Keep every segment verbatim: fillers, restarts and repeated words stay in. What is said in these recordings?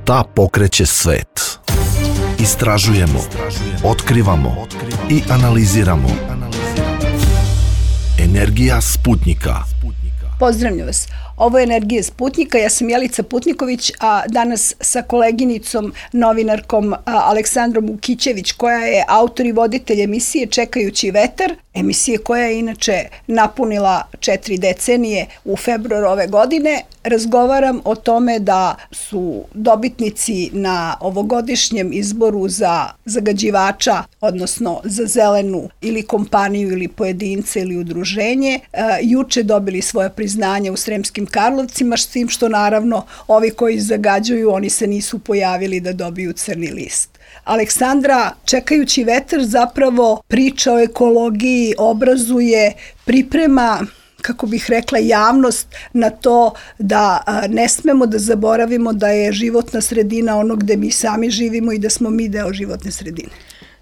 Šta pokreće svet? Istražujemo, otkrivamo i analiziramo. Energija Sputnjika. Pozdravljam vas. Ovo je Energija Sputnjika, ja sam Jelica Putniković, a danas sa koleginicom, novinarkom Aleksandrom Ukićević, koja je autor i voditelj emisije Čekajući vetar, emisije koja je inače napunila četiri decenije u februaru ove godine. Razgovaram o tome da su dobitnici na ovogodišnjem izboru za zagađivača, odnosno za zelenu ili kompaniju ili pojedince ili udruženje, juče dobili svoje priznanje u Sremskim Karlovcima, s tim što naravno ovi koji zagađuju, oni se nisu pojavili da dobiju crni list. Aleksandra, Čekajući vetar zapravo priča o ekologiji, obrazuje, priprema, kako bih rekla, javnost na to da ne smemo da zaboravimo da je životna sredina ono gde mi sami živimo i da smo mi deo životne sredine.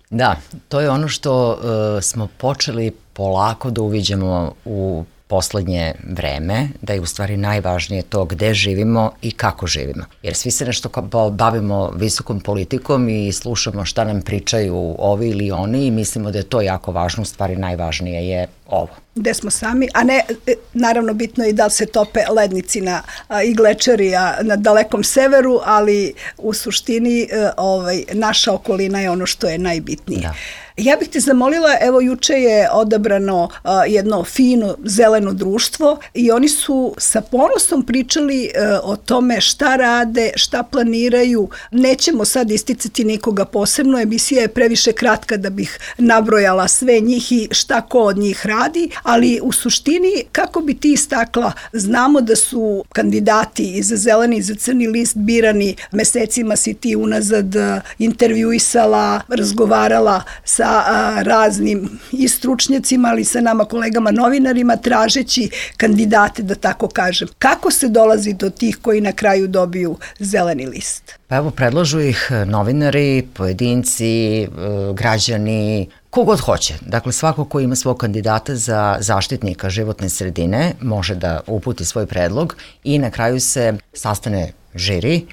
Da, to je ono što uh, smo počeli polako da uviđamo u poslednje vreme, da je u stvari najvažnije to gde živimo i kako živimo. Jer svi se nešto bavimo visokom politikom i slušamo šta nam pričaju ovi ili oni i mislimo da je to jako važno, u stvari najvažnije je ovo. Gde smo sami, a ne, naravno bitno je i da li se tope lednici na, a, i glečeri a, na dalekom severu, ali u suštini a, ovaj, naša okolina je ono što je najbitnije. Da. Ja bih te zamolila, evo juče je odabrano a, jedno fino zeleno društvo i oni su sa ponosom pričali a, o tome šta rade, šta planiraju. Nećemo sad isticati nikoga posebno, emisija je previše kratka da bih nabrojala sve njih i šta ko od njih radi, ali u suštini, kako bi ti istakla, znamo da su kandidati i za zeleni i za crni list birani, mesecima si ti unazad intervjuisala, razgovarala sa a, raznim i stručnjacima, ali sa nama kolegama novinarima, tražeći kandidate, da tako kažem. Kako se dolazi do tih koji na kraju dobiju zeleni list? Pa evo, predlažu ih novinari, pojedinci, građani, kogod hoće. Dakle, svako ko ima svog kandidata za zaštitnika životne sredine može da uputi svoj predlog i na kraju se sastane žiri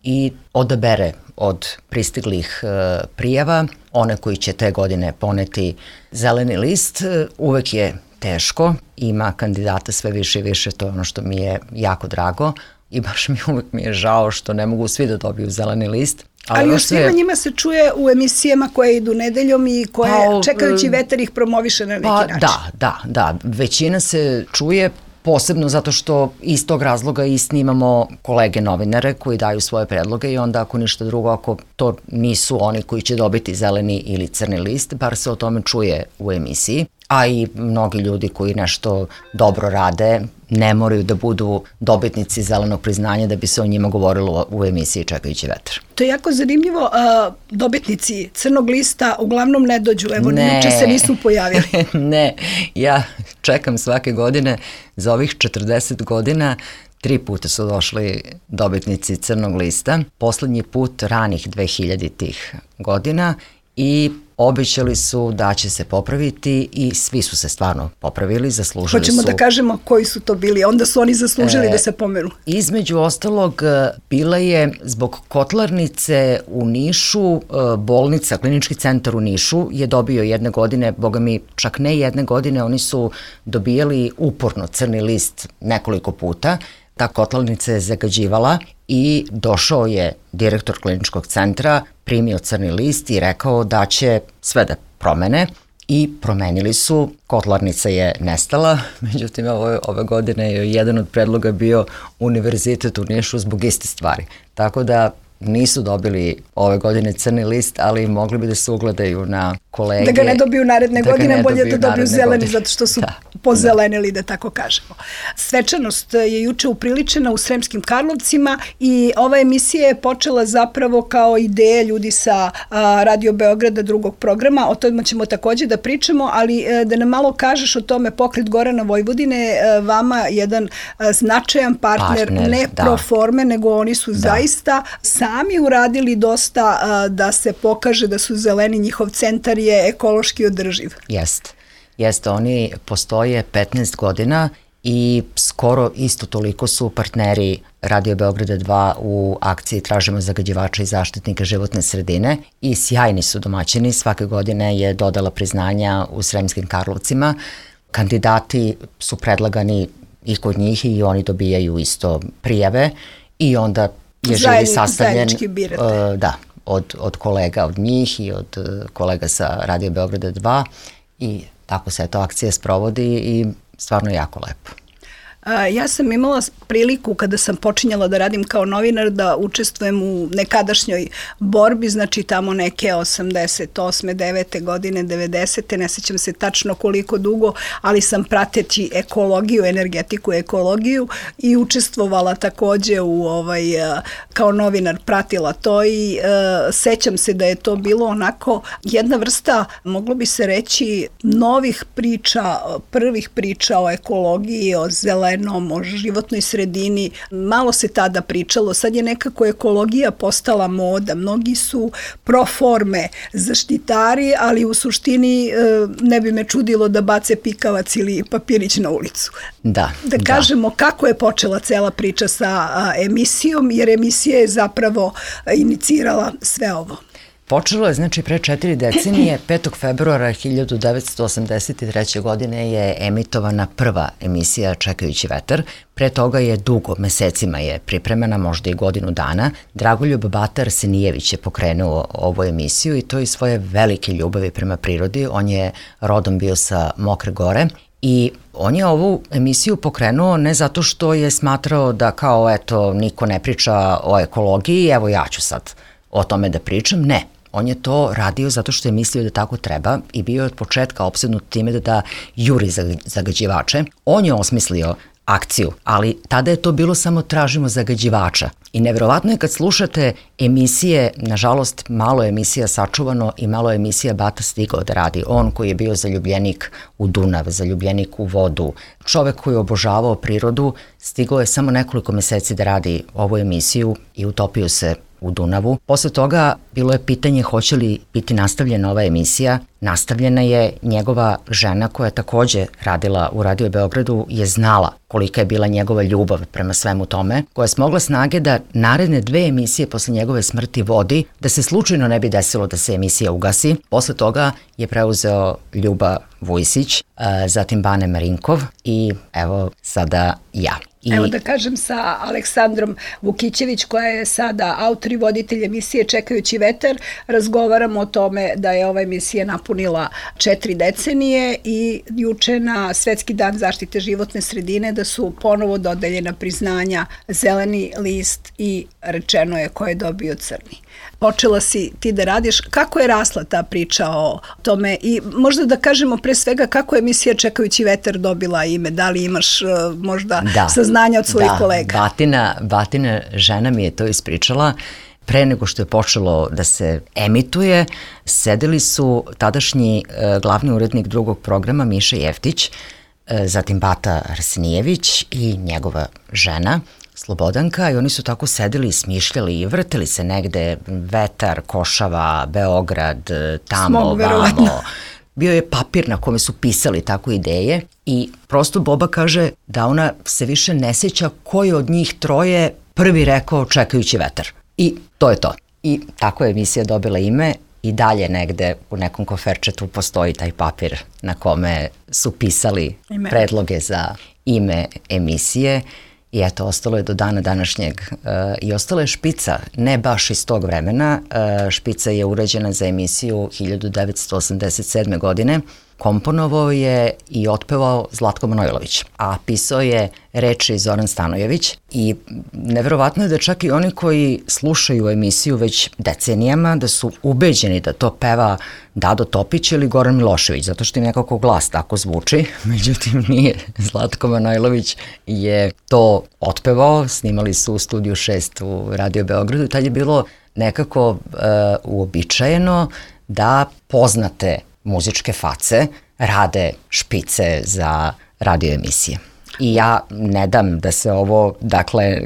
i odabere od pristiglih e, prijava one koji će te godine poneti zeleni list. Uvek je teško, ima kandidata sve više i više, to je ono što mi je jako drago i baš mi uvek mi je žao što ne mogu svi da dobiju zeleni list. Ali, ali još svima je... njima se čuje u emisijama koje idu nedeljom i koje pa, Čekajući vetar ih promoviše na neki pa, način. Da, da, da. Većina se čuje, posebno zato što iz tog razloga i snimamo kolege novinare koji daju svoje predloge i onda ako ništa drugo, ako to nisu oni koji će dobiti zeleni ili crni list, bar se o tome čuje u emisiji. A i mnogi ljudi koji nešto dobro rade ne moraju da budu dobitnici zelenog priznanja da bi se o njima govorilo u emisiji Čekajući vetar. To je jako zanimljivo. Dobitnici crnog lista uglavnom ne dođu. Evo, ne, juče se nisu pojavili. Ne, ja čekam svake godine za ovih četrdeset godina. Tri puta su došli dobitnici crnog lista. Poslednji put ranih dvehiljaditih godina i obećali su da će se popraviti i svi su se stvarno popravili, zaslužili Hoćemo su. Hoćemo da kažemo koji su to bili, onda su oni zaslužili e, da se pomeru. Između ostalog, bila je zbog kotlarnice u Nišu, bolnica, klinički centar u Nišu je dobio jedne godine, boga mi čak ne jedne godine, oni su dobijali uporno crni list nekoliko puta. Ta kotlarnica je zagađivala i došao je direktor kliničkog centra, primio crni list i rekao da će sve da promene i promenili su. Kotlarnica je nestala, međutim ove, ove godine je jedan od predloga bio Univerzitet u Nišu zbog iste stvari. Tako da nisu dobili ove godine crni list, ali mogli bi da se ugledaju na kolege. Da ga ne dobiju naredne da godine, bolje da dobiju zeleni, godine. Zato što su da, pozelenili, da. da tako kažemo. Svečanost je juče upriličena u Sremskim Karlovcima i ova emisija je počela zapravo kao ideja ljudi sa a, Radio Beograda drugog programa, o tome ćemo takođe da pričamo, ali a, da nam malo kažeš o tome. Pokret Gorana Vojvodine, a, vama jedan a, značajan partner, partner ne da. pro forme, nego oni su da. zaista sa sami uradili dosta a, da se pokaže da su zeleni, njihov centar je ekološki održiv. Jeste. Jeste, oni postoje petnaest godina i skoro isto toliko su partneri Radio Beograda dva u akciji Tražimo zagađivača i zaštitnika životne sredine i sjajni su domaćini. Svake godine je dodala priznanja u Sremskim Karlovcima. Kandidati su predlagani i kod njih i oni dobijaju isto prijave i onda je žiri sastavljen uh, da, od, od kolega od njih i od uh, kolega sa Radio Beograda dva i tako se to akcija sprovodi i stvarno jako lepo. Ja sam imala priliku kada sam počinjala da radim kao novinar da učestvujem u nekadašnjoj borbi, znači tamo neke osamdeset osme, devete godine, devedesete, ne sećam se tačno koliko dugo, ali sam prateći ekologiju, energetiku, ekologiju i učestvovala takođe u ovaj, kao novinar pratila to i uh, sećam se da je to bilo onako jedna vrsta, moglo bi se reći, novih priča, prvih priča o ekologiji, o zelenom, o životnoj sredini. Malo se tada pričalo, sad je nekako ekologija postala moda. Mnogi su pro forme zaštitari, ali u suštini ne bi me čudilo da bace pikavac ili papirić na ulicu. Da, da kažemo da. Kako je počela cela priča sa emisijom, jer emisija je zapravo inicirala sve ovo. Počelo je, znači, pre četiri decenije, petog februara hiljadu devetsto osamdeset treće. godine je emitovana prva emisija Čekajući vetar. Pre toga je dugo, mesecima je pripremena, možda i godinu dana. Dragoljub Bata Arsenijević je pokrenuo ovu emisiju i to iz svoje velike ljubavi prema prirodi. On je rodom bio sa Mokre Gore i on je ovu emisiju pokrenuo ne zato što je smatrao da kao, eto, niko ne priča o ekologiji, evo ja ću sad o tome da pričam, ne. On je to radio zato što je mislio da tako treba i bio je od početka opsednut time da da juri zagađivače. On je osmislio akciju, ali tada je to bilo samo tražimo zagađivača. I neverovatno je kad slušate emisije, nažalost malo je emisija sačuvano i malo je emisija Bata stigao da radi. On koji je bio zaljubljenik u Dunav, zaljubljenik u vodu, čovek koji je obožavao prirodu, stigao je samo nekoliko meseci da radi ovu emisiju i utopio se u Dunavu. Posle toga bilo je pitanje hoće li biti nastavljena ova emisija. Nastavljena je, njegova žena koja je takođe radila u Radio Beogradu je znala kolika je bila njegova ljubav prema svemu tome, koja je smogla snage da naredne dve emisije posle njegove smrti vodi, da se slučajno ne bi desilo da se emisija ugasi. Posle toga je preuzeo Ljuba Vujsić, zatim Bane Marinkov i evo sada ja. I... Evo da kažem sa Aleksandrom Vukićević koja je sada autor i voditelj emisije Čekajući vetar, razgovaramo o tome da je ova emisija napunila četiri decenije i juče na Svetski dan zaštite životne sredine da su ponovo dodeljena priznanja Zeleni list i rečeno je ko je dobio crni. Počela si ti da radiš, kako je rasla ta priča o tome i možda da kažemo pre svega kako je emisija Čekajući vetar dobila ime, da li imaš možda da, saznanja od svojih da, kolega? Da, Batina, Batina žena mi je to ispričala. Pre nego što je počelo da se emituje, sedeli su tadašnji e, glavni urednik drugog programa Miša Jeftić, e, zatim Bata Arsenijević i njegova žena Slobodanka i oni su tako sedeli i smišljali i vrteli se negde vetar, Košava, Beograd, tamo, Smog, vamo. Bio je papir na kome su pisali tako ideje i prosto Boba kaže da ona se više ne sjeća koji od njih troje prvi rekao Čekajući vetar. I to je to. I tako je emisija dobila ime i dalje negde u nekom koferčetu postoji taj papir na kome su pisali ime. Predloge za ime emisije. I eto, ostalo je do dana današnjeg uh, i ostala je špica, ne baš iz tog vremena, uh, špica je urađena za emisiju hiljadu devetsto osamdeset sedme. godine, komponovao je i otpevao Zlatko Manojlović, a pisao je reči Zoran Stanojević i neverovatno je da čak i oni koji slušaju emisiju već decenijama da su ubeđeni da to peva Dado Topić ili Goran Milošević, zato što im nekako glas tako zvuči, međutim nije. Zlatko Manojlović je to otpevao, snimali su u Studiju šest u Radio Beogradu i tad je bilo nekako uh, uobičajeno da poznate muzičke face rade špice za radio emisije. I ja ne dam da se ovo, dakle,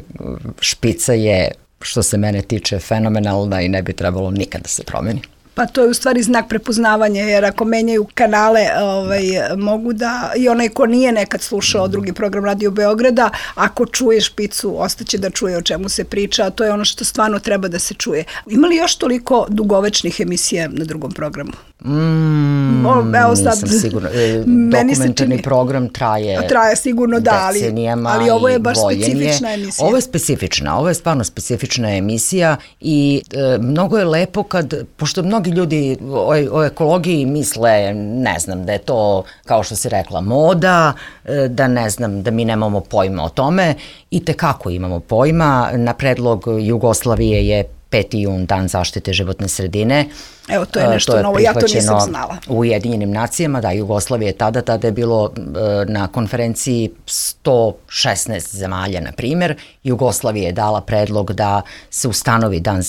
špica je, što se mene tiče, fenomenalna i ne bi trebalo nikad da se promeni. Pa to je u stvari znak prepoznavanja, jer ako menjaju kanale, ovaj, mogu da, i onaj ko nije nekad slušao drugi program Radio Beograda, ako čuje Špicu, ostaće da čuje o čemu se priča, a to je ono što stvarno treba da se čuje. Ima li još toliko dugovečnih emisija na drugom programu? Mm, o, evo sad, nisam sigurno. E, dokumentarni čini, program traje, traje sigurno da, ali, decenijama ali ovo je baš voljenje. Specifična emisija. Ovo je specifična, ovo je stvarno specifična emisija i e, mnogo je lepo kad, pošto mnogi ljudi o, o ekologiji misle, ne znam, da je to, kao što si rekla, moda, e, da ne znam, da mi nemamo pojma o tome, i tekako imamo pojma. Na predlog Jugoslavije je peti jun, Dan zaštite životne sredine. Evo, to je nešto to je novo, ja to nisam znala. U Ujedinjenim nacijama, da, Jugoslavije je tada, tada je bilo e, na konferenciji sto šesnaest zemalja, na primjer. Jugoslavija je dala predlog da se ustanovi Dan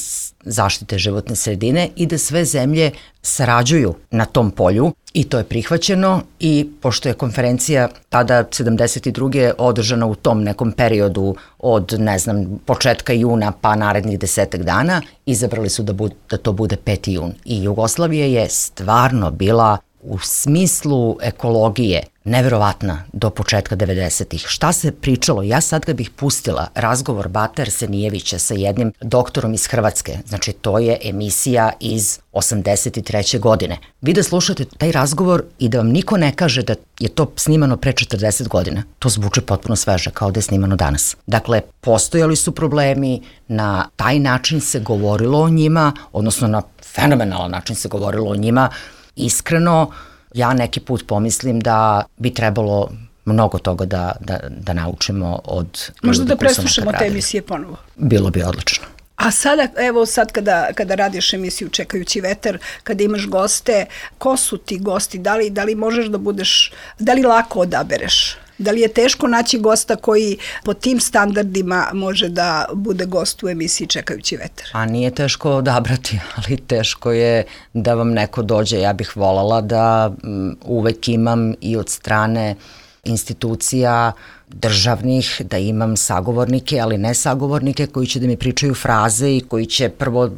zaštite životne sredine i da sve zemlje sarađuju na tom polju, i to je prihvaćeno, i pošto je konferencija tada sedamdeset druge održana u tom nekom periodu od, ne znam, početka juna pa narednih desetak dana, izabrali su da, bu, da to bude peti jun. I Jugoslavija je stvarno bila u smislu ekologije neverovatna do početka devedesetih. Šta se pričalo? Ja sad kad bih pustila razgovor Bate Arsenijevića sa jednim doktorom iz Hrvatske, znači to je emisija iz osamdeset treće godine. Vi da slušate taj razgovor i da vam niko ne kaže da je to snimano pre četrdeset godina, to zvuči potpuno sveže, kao da je snimano danas. Dakle, postojali su problemi, na taj način se govorilo o njima, odnosno na fenomenalan način se govorilo o njima. Iskreno, ja neki put pomislim da bi trebalo mnogo toga da, da, da naučimo od... Možda da preslušamo te emisije ponovo. Bilo bi odlično. A sada, evo sad kada, kada radiš emisiju Čekajući vetar, kada imaš goste, ko su ti gosti? Da li, da li možeš da budeš, da li lako odabereš? Da li je teško naći gosta koji po tim standardima može da bude gost u emisiji Čekajući vetar? A nije teško odabrati, ali teško je da vam neko dođe. Ja bih voljela da m, uvek imam i od strane institucija državnih, da imam sagovornike, ali ne sagovornike koji će da mi pričaju fraze i koji će prvo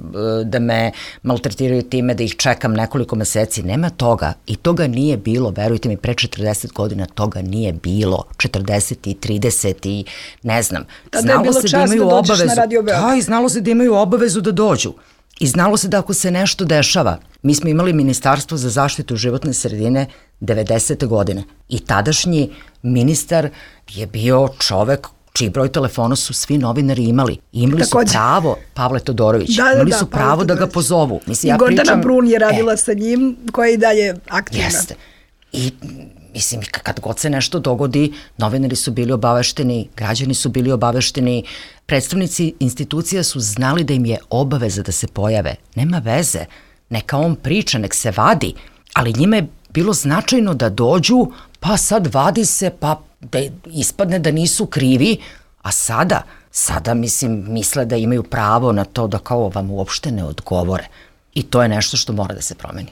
da me maltretiraju time da ih čekam nekoliko meseci. Nema toga, i toga nije bilo, verujte mi, pre četrdeset godina toga nije bilo, četrdeset i trideset i ne znam. Tada je bilo čast da dođeš na Radio Beograd. Da, i znalo se da imaju obavezu da dođu. I znalo se da ako se nešto dešava, mi smo imali Ministarstvo za zaštitu životne sredine devedesete godine i tadašnji ministar je bio čovek čiji broj telefona su svi novinari imali. Imali Takođe. su pravo, Pavle Todorović, da, da, imali su da, pravo da ga pozovu. Mislim, I ja Gordana pričam, Brun je radila e, sa njim, koja je i dalje aktivna. Jeste. I mislim, kad god se nešto dogodi, novinari su bili obavešteni, građani su bili obavešteni, predstavnici institucija su znali da im je obaveza da se pojave. Nema veze, neka on priča, nek se vadi, ali njima je bilo značajno da dođu, pa sad vadi se, pa da ispadne da nisu krivi, a sada, sada mislim, misle da imaju pravo na to da kao vam uopšte ne odgovore. I to je nešto što mora da se promeni.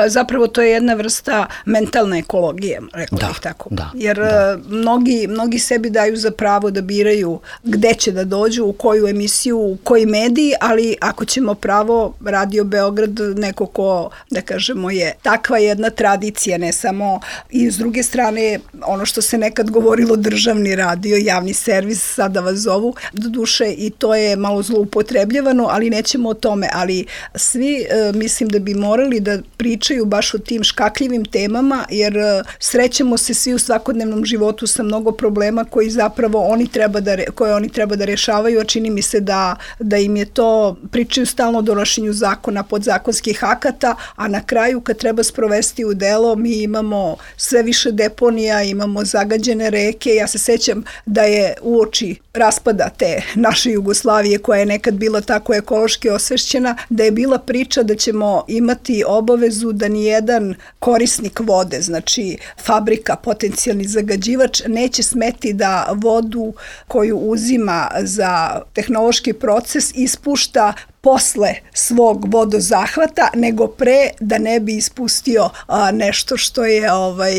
Zapravo to je jedna vrsta mentalne ekologije, rekao da, bih tako. Da, Jer da. Mnogi, mnogi sebi daju za pravo da biraju gde će da dođu, u koju emisiju, u koji mediji, ali ako ćemo pravo, Radio Beograd, neko ko, da kažemo, je takva jedna tradicija, ne samo, i s druge strane, ono što se nekad govorilo državni radio, javni servis, sada vas zovu, do duše i to je malo zloupotrebljavano, ali nećemo o tome, ali svi mislim da bi morali da pričaju pričaju baš o tim škakljivim temama, jer srećemo se svi u svakodnevnom životu sa mnogo problema koji zapravo oni treba da, koje oni treba da rešavaju, a čini mi se da, da im je to, pričaju stalno o donošenju zakona, podzakonskih akata, a na kraju kad treba sprovesti u delo, mi imamo sve više deponija, imamo zagađene reke. Ja se sećam da je uoči raspada te naše Jugoslavije, koja je nekad bila tako ekološki osvešćena, da je bila priča da ćemo imati obavezu da nijedan korisnik vode, znači fabrika, potencijalni zagađivač, neće smeti da vodu koju uzima za tehnološki proces ispušta posle svog vodozahvata, nego pre, da ne bi ispustio a, nešto što je, ovaj,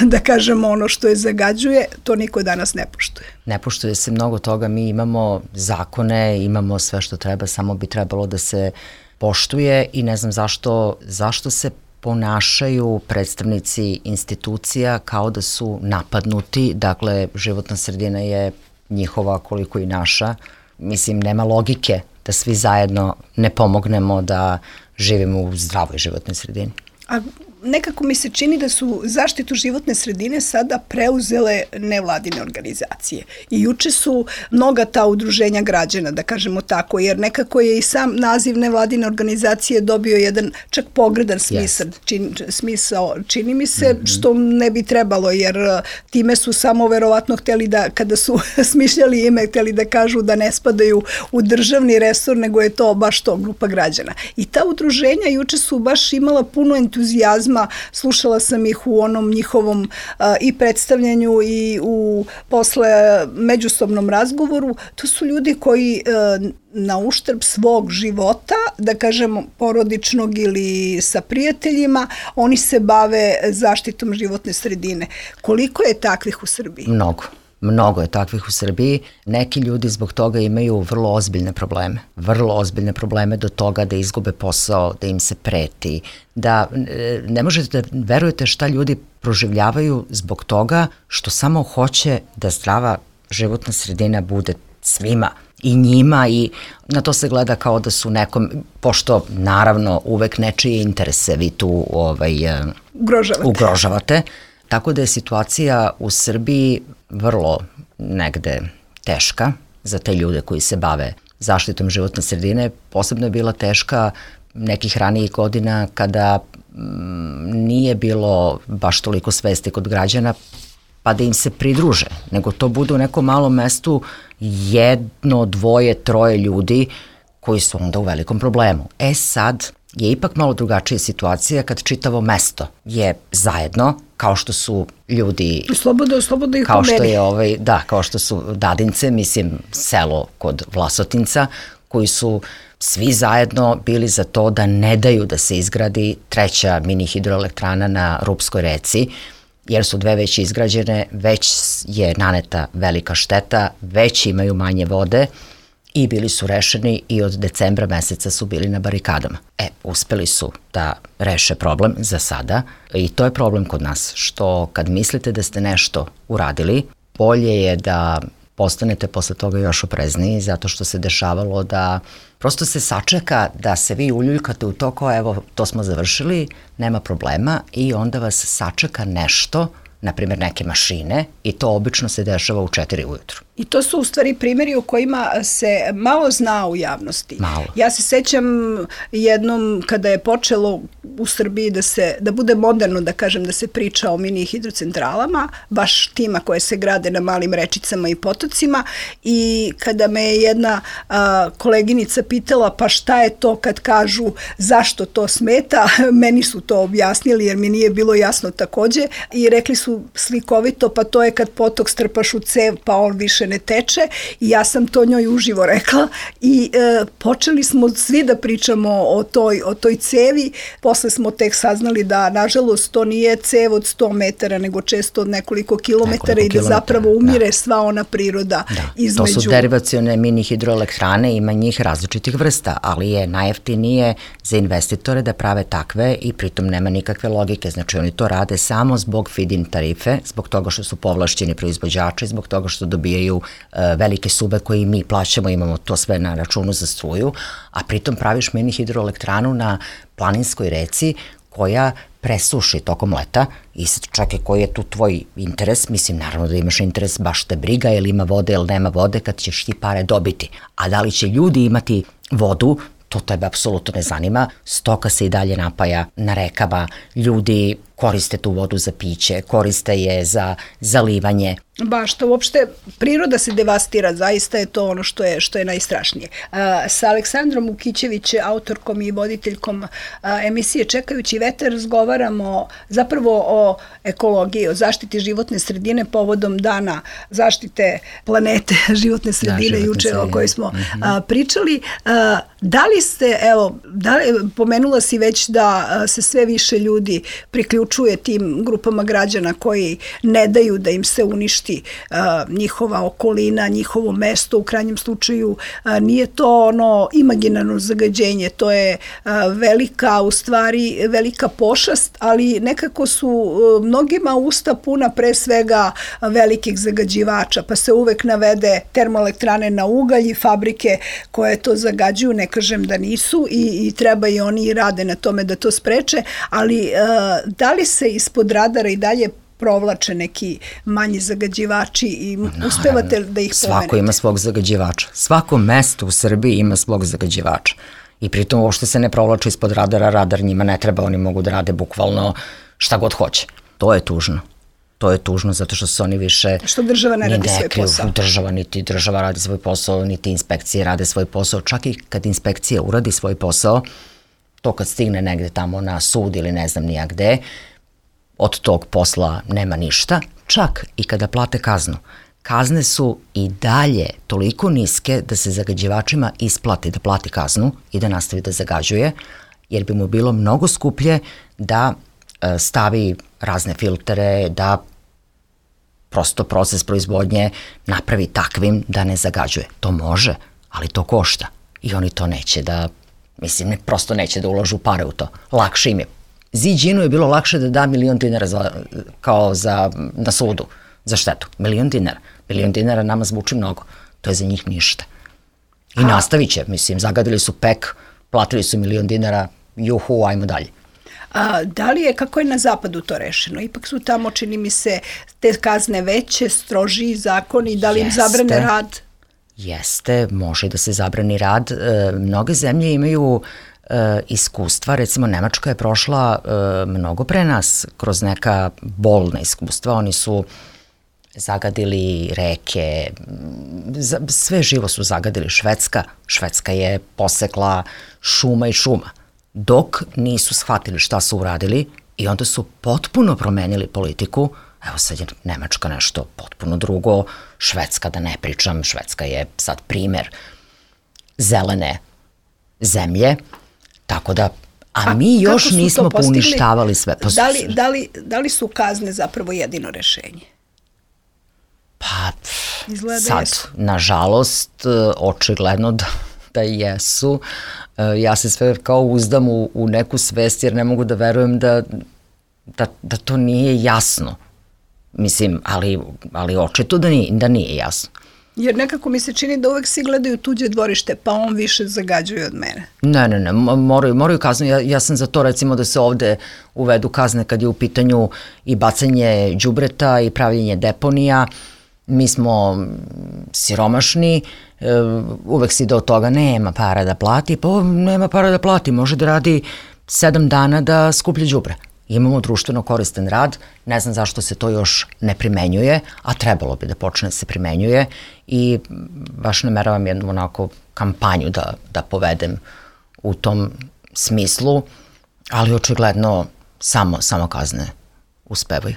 da kažemo, ono što je zagađuje. To niko danas ne poštuje. Ne poštuje se mnogo toga, mi imamo zakone, imamo sve što treba, samo bi trebalo da se poštuje i ne znam zašto, zašto se ponašaju predstavnici institucija kao da su napadnuti, dakle životna sredina je njihova koliko i naša. Mislim, nema logike da svi zajedno ne pomognemo da živimo u zdravoj životnoj sredini. A nekako mi se čini da su zaštitu životne sredine sada preuzele nevladine organizacije. I juče su mnoga ta udruženja građana, da kažemo tako, jer nekako je i sam naziv nevladine organizacije dobio jedan čak pogredan smisao, yes. čin, smisao čini mi se, mm-hmm. što ne bi trebalo, jer time su samo verovatno hteli da, kada su smišljali ime, hteli da kažu da ne spadaju u državni resor, nego je to baš to grupa građana. I ta udruženja juče su baš imala puno entuzijazma. Slušala sam ih u onom njihovom a, i predstavljanju i u posle međusobnom razgovoru. To su ljudi koji a, na uštrb svog života, da kažemo porodičnog ili sa prijateljima, oni se bave zaštitom životne sredine. Koliko je takvih u Srbiji? Mnogo. Mnogo je takvih u Srbiji. Neki ljudi zbog toga imaju vrlo ozbiljne probleme. Vrlo ozbiljne probleme do toga da izgube posao, da im se preti, da ne možete da verujete šta ljudi proživljavaju zbog toga što samo hoće da zdrava životna sredina bude svima i njima i na to se gleda kao da su nekom, pošto naravno uvek nečije interese vi tu ovaj, ugrožavate. ugrožavate. Tako da je situacija u Srbiji vrlo negde teška za te ljude koji se bave zaštitom životne sredine. Posebno je bila teška nekih ranijih godina kada mm, nije bilo baš toliko svesti kod građana pa da im se pridruže, nego to bude u nekom malom mestu jedno, dvoje, troje ljudi koji su onda u velikom problemu. E sad je ipak malo drugačija situacija kad čitavo mesto je zajedno, kao što su ljudi... Slobodno, slobodno ih kao što je ovaj, da, kao što su Dadince, mislim selo kod Vlasotinca, koji su svi zajedno bili za to da ne daju da se izgradi treća mini hidroelektrana na Rupskoj reci, jer su dve već izgrađene, već je naneta velika šteta, već imaju manje vode i bili su rešeni i od decembra meseca su bili na barikadama. E, uspeli su da reše problem za sada i to je problem kod nas, što kad mislite da ste nešto uradili, bolje je da postanete posle toga još oprezniji, zato što se dešavalo da prosto se sačeka da se vi uljuljkate u to kao evo to smo završili, nema problema i onda vas sačeka nešto, na primjer neke mašine i to obično se dešava u četiri ujutru. I to su u stvari primjeri u kojima se malo zna u javnosti. Malo. Ja se sećam jednom kada je počelo u Srbiji da se da bude moderno, da kažem, da se priča o mini hidrocentralama, baš tima koje se grade na malim rečicama i potocima i kada me je jedna a, koleginica pitala pa šta je to kad kažu zašto to smeta, meni su to objasnili jer mi nije bilo jasno takođe i rekli su slikovito pa to je kad potok strpaš u cev pa on više ne teče i ja sam to njoj uživo rekla i e, počeli smo svi da pričamo o toj, o toj cevi, posle smo tek saznali da nažalost to nije cev od sto metara nego često od nekoliko kilometara nekoliko i da zapravo umire da. Sva ona priroda da. Između. To su derivacione mini hidroelektrane, ima njih različitih vrsta, ali je najjeftinije za investitore da prave takve i pritom nema nikakve logike, znači oni to rade samo zbog feed-in tarife, zbog toga što su povlašćeni proizvođači, zbog toga što dobijaju velike sube koje mi plaćamo, imamo to sve na računu za struju, a pritom praviš mini hidroelektranu na planinskoj reci koja presuši tokom leta i sad čekaj koji je tu tvoj interes, mislim naravno da imaš interes baš te briga ili ima vode ili nema vode kad ćeš ti pare dobiti, a da li će ljudi imati vodu, to tebe apsolutno ne zanima, stoka se i dalje napaja na rekama, ljudi koriste tu vodu za piće, koriste je za zalivanje. Baš to uopšte, priroda se devastira, zaista je to ono što je, što je najstrašnije. A, sa Aleksandrom Ukićević, autorkom i voditeljkom a, emisije Čekajući vetar, razgovaramo zapravo o ekologiji, o zaštiti životne sredine povodom dana zaštite planete, životne sredine, da, juče sredine. O kojoj smo mm-hmm. a, pričali. A, da li ste, evo, da li, pomenula si već da a, se sve više ljudi priključuju poručuje tim grupama građana koji ne daju da im se uništi uh, njihova okolina, njihovo mesto, u krajnjem slučaju uh, nije to ono imaginarno zagađenje, to je uh, velika, u stvari velika pošast, ali nekako su uh, mnogima usta puna pre svega velikih zagađivača, pa se uvek navede termoelektrane na ugalj i fabrike koje to zagađuju, ne kažem da nisu i, i treba i oni i rade na tome da to spreče, ali uh, da li se ispod radara i dalje provlače neki manji zagađivači i Naravno, uspevate da ih pomenete? Svako ima svog zagađivača. Svako mesto u Srbiji ima svog zagađivača. I pritom uopšte se ne provlače ispod radara, radar njima ne treba, oni mogu da rade bukvalno šta god hoće. To je tužno. To je tužno zato što se oni više... Što država ne radi svoj posao. Država, niti država radi svoj posao, niti inspekcije rade svoj posao. Čak i kad inspekcija uradi svoj posao, to kad stigne negde tamo na sud ili ne znam nija gde, od tog posla nema ništa. Čak i kada plate kaznu. Kazne su i dalje toliko niske da se zagađivačima isplati da plati kaznu i da nastavi da zagađuje, jer bi mu bilo mnogo skuplje da e, stavi razne filtere, da prosto proces proizvodnje napravi takvim da ne zagađuje. To može, ali to košta. I oni to neće da, mislim, ne, prosto neće da uložu pare u to. Lakše im je. Ziđinu je bilo lakše da da milion dinara za, kao za, na sudu za štetu. Milion dinara. Milion dinara nama zvuči mnogo. To je za njih ništa. I A. nastavit će, mislim, zagadili su pek, platili su milion dinara, juhu, ajmo dalje. A, da li je, kako je na zapadu to rešeno? Ipak su tamo, čini mi se, te kazne veće, strožiji zakoni, da li im Jeste. zabrane rad? Jeste, može da se zabrani rad. E, mnoge zemlje imaju e, iskustva, recimo Nemačka je prošla e, mnogo pre nas kroz neka bolna iskustva, oni su zagadili reke, za, sve živo su zagadili. Švedska, Švedska je posekla šuma i šuma, dok nisu shvatili šta su uradili i onda su potpuno promenili politiku. Evo sad je Nemačka nešto potpuno drugo, Švedska da ne pričam, Švedska je sad primer zelene zemlje, tako da, a, a mi još nismo poništavali sve. Pa, da, li, da, li, da li su kazne zapravo jedino rešenje? Pa, Izgleda sad, jesu. nažalost, očigledno da, da jesu. Ja se sve kao uzdam u, u neku svest jer ne mogu da verujem da, da, da to nije jasno. Mislim, ali, ali očito da nije, da nije jasno. Jer nekako mi se čini da uvek svi gledaju tuđe dvorište, pa on više zagađuje od mene. Ne, ne, ne, moraju, moraju kazne. Ja, ja sam za to recimo da se ovde uvedu kazne kad je u pitanju i bacanje đubreta i pravljenje deponija. Mi smo siromašni, uvek si do toga nema para da plati, pa nema para da plati, može da radi sedam dana da skuplje đubre. Imamo društveno koristan rad, ne znam zašto se to još ne primenjuje, a trebalo bi da počne da se primenjuje i baš nameravam jednu onako kampanju da, da povedem u tom smislu, ali očigledno samo, samo kazne uspevaju.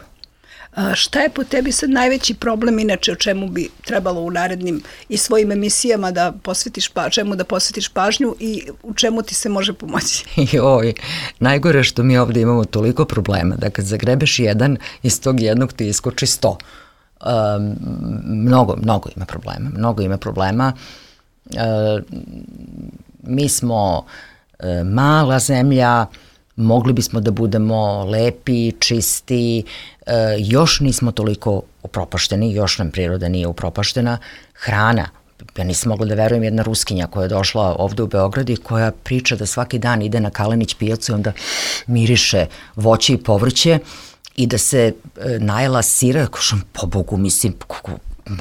A šta je po tebi sad najveći problem, inače o čemu bi trebalo u narednim i svojim emisijama da posvetiš pa, čemu da posvetiš pažnju i u čemu ti se može pomoći? Joj, najgore što mi ovde imamo toliko problema, da kad zagrebeš jedan, iz tog jednog ti iskoči sto. Um, mnogo, mnogo ima problema, mnogo ima problema. Uh, mi smo uh, mala zemlja, mogli bismo da budemo lepi, čisti, e, još nismo toliko upropašteni, još nam priroda nije upropaštena. Hrana, ja nisam mogla da verujem, jedna Ruskinja koja je došla ovde u Beograd i koja priča da svaki dan ide na Kalenić pijacu i onda miriše voće i povrće i da se e, najela sira, kažem, po Bogu, mislim, kako,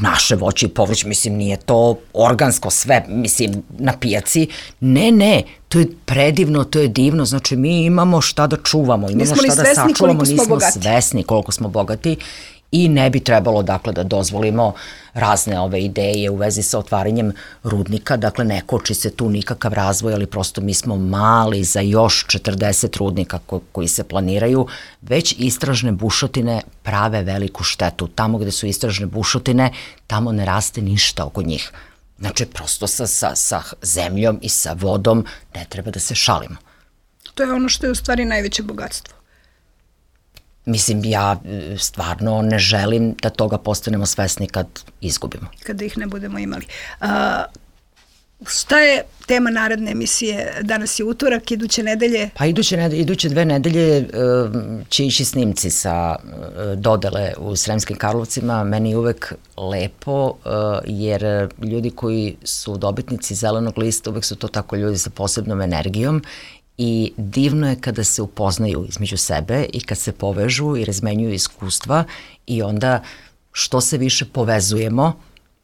naše voće i povrće, mislim, nije to organsko sve, mislim, na pijaci. Ne, ne, to je predivno, to je divno, znači mi imamo šta da čuvamo, imamo nismo šta da sačuvamo, nismo bogati. svesni koliko smo bogati i ne bi trebalo, dakle, da dozvolimo razne ove ideje u vezi sa otvaranjem rudnika, dakle, ne koči se tu nikakav razvoj, ali prosto mi smo mali za još četrdeset rudnika ko, koji se planiraju, već istražne bušotine prave veliku štetu. Tamo gde su istražne bušotine, tamo ne raste ništa oko njih. Znači, prosto sa, sa, sa zemljom i sa vodom ne treba da se šalimo. To je ono što je u stvari najveće bogatstvo. mislim, ja stvarno ne želim da toga postanemo svesni kad izgubimo. Kada ih ne budemo imali. A, šta je tema naredne emisije? Danas je utorak, iduće nedelje? Pa iduće, nedelje, iduće dve nedelje će ići snimci sa dodele u Sremskim Karlovcima. Meni je uvek lepo, jer ljudi koji su dobitnici zelenog lista, uvek su to tako ljudi sa posebnom energijom i divno je kada se upoznaju između sebe i kad se povežu i razmenjuju iskustva i onda što se više povezujemo,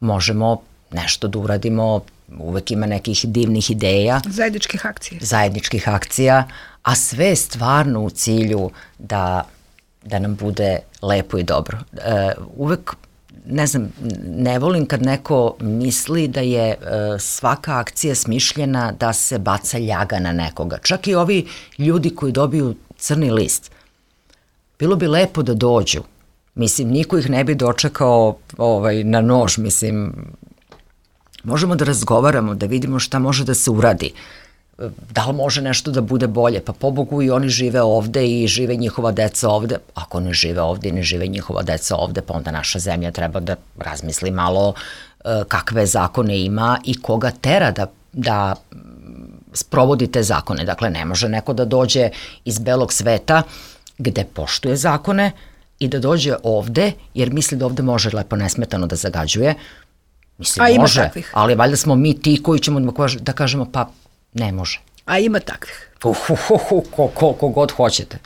možemo nešto da uradimo. Uvek ima nekih divnih ideja. Zajedničkih akcija. Zajedničkih akcija, a sve je stvarno u cilju da, da nam bude lepo i dobro. E, uvek, ne znam, ne volim kad neko misli da je e, svaka akcija smišljena da se baca ljaga na nekoga. Čak i ovi ljudi koji dobiju crni list. Bilo bi lepo da dođu. Mislim, niko ih ne bi dočekao ovaj, na nož, mislim. Možemo da razgovaramo, da vidimo šta može da se uradi. Da li može nešto da bude bolje? Pa pobogu i oni žive ovde i žive njihova deca ovde. Ako ne žive ovde i ne žive njihova deca ovde, pa onda naša zemlja treba da razmisli malo kakve zakone ima i koga tera da, da sprovodi te zakone. Dakle, ne može neko da dođe iz belog sveta gde poštuje zakone i da dođe ovde jer misli da ovde može lepo nesmetano da zagađuje. Mislim, a ima može, takvih. Ali valjda smo mi ti koji ćemo da kažemo pa ne može. A ima takvih. Uhuhuhu, ko, ko, ko god hoćete.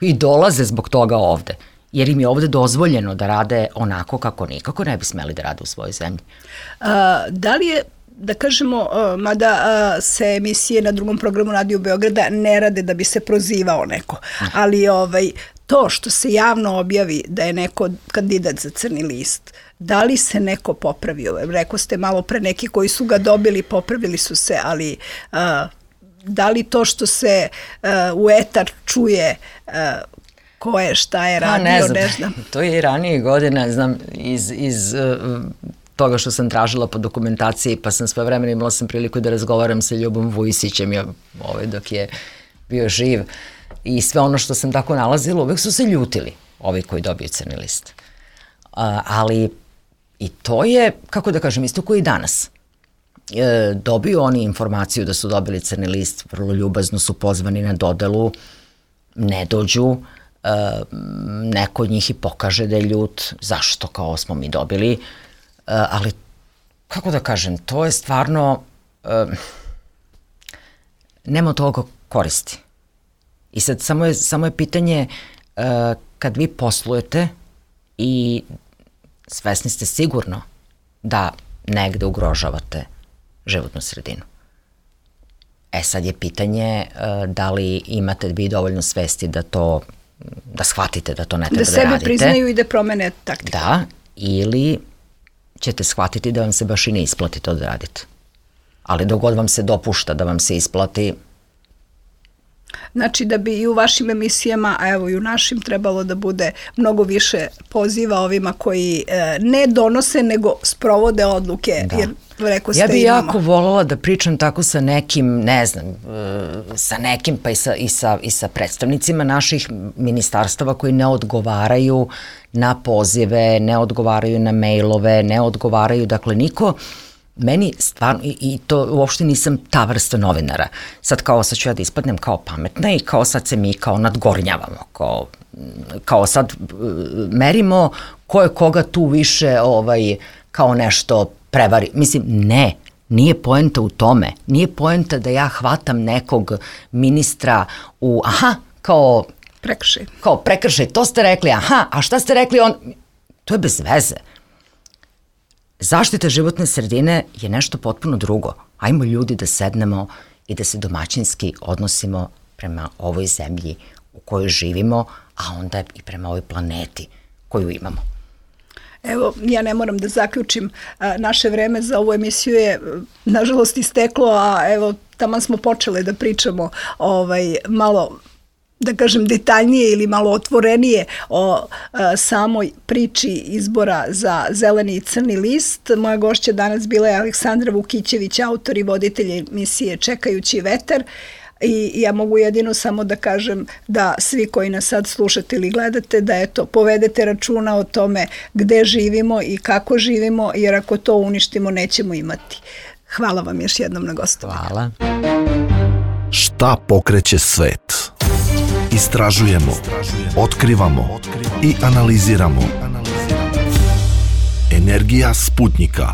I dolaze zbog toga ovde. Jer im je ovde dozvoljeno da rade onako kako nikako ne bi smeli da rade u svojoj zemlji. A, da li je, da kažemo, a, mada a, se emisije na drugom programu Radio Beograda ne rade da bi se prozivao neko, ali ovaj, to što se javno objavi da je neko kandidat za crni list, da li se neko popravio? Rekao ste malo pre neki koji su ga dobili, popravili su se, ali a, da li to što se a, u etar čuje a, ko je, šta je radio, ne znam. Ne znam. To je i ranije godine, znam, iz, iz uh, toga što sam tražila po dokumentaciji, pa sam sve vremena imala sam priliku da razgovaram sa Ljubom Vujisićem ovaj, dok je bio živ. I sve ono što sam tako nalazila, uvek su se ljutili, ovi koji dobiju crni list. Uh, ali i to je, kako da kažem, isto koji i danas. E, dobiju oni informaciju da su dobili crni list, vrlo ljubazno su pozvani na dodelu, ne dođu, e, neko od njih i pokaže da je ljut, zašto kao smo mi dobili, e, ali, kako da kažem, to je stvarno, e, nema toga koristi. I sad samo je, samo je pitanje uh, kad vi poslujete i svesni ste sigurno da negde ugrožavate životnu sredinu. E sad je pitanje uh, da li imate vi dovoljno svesti da to, da shvatite da to ne treba da, da radite. Da sebe priznaju i da promene taktiku. Da, ili ćete shvatiti da vam se baš i ne isplati to da radite. Ali dok god vam se dopušta da vam se isplati. Znači da bi i u vašim emisijama, a evo i u našim, trebalo da bude mnogo više poziva ovima koji e, ne donose, nego sprovode odluke. Da. Jer, rekao ste, ja bi imamo. jako voljela da pričam tako sa nekim, ne znam, sa nekim pa i sa, i sa, i sa predstavnicima naših ministarstava koji ne odgovaraju na pozive, ne odgovaraju na mailove, ne odgovaraju, dakle niko. Meni stvarno, i, i to uopšte nisam ta vrsta novinara. Sad kao sad ću ja da ispadnem kao pametna i kao sad se mi kao nadgornjavamo, kao, kao sad merimo ko je koga tu više ovaj, kao nešto prevari. Mislim, ne, nije poenta u tome. Nije poenta da ja hvatam nekog ministra u, aha, kao prekršaj. Kao prekršaj, to ste rekli, aha, a šta ste rekli on? To je bez veze. Zaštita životne sredine je nešto potpuno drugo. Ajmo ljudi da sednemo i da se domaćinski odnosimo prema ovoj zemlji u kojoj živimo, a onda i prema ovoj planeti koju imamo. Evo, ja ne moram da zaključim, naše vreme za ovu emisiju je nažalost isteklo, a evo, tamo smo počeli da pričamo ovaj, malo, da kažem, detaljnije ili malo otvorenije o a, samoj priči izbora za zeleni i crni list. Moja gošća danas bila je Aleksandra Vukićević, autor i voditelj emisije Čekajući vetar, i ja mogu jedino samo da kažem da svi koji nas sad slušate ili gledate, da eto, povedete računa o tome gde živimo i kako živimo, jer ako to uništimo nećemo imati. Hvala vam još jednom na gostovanju. Hvala. Šta pokreće svet? Istražujemo, otkrivamo i analiziramo. Energija Sputnika.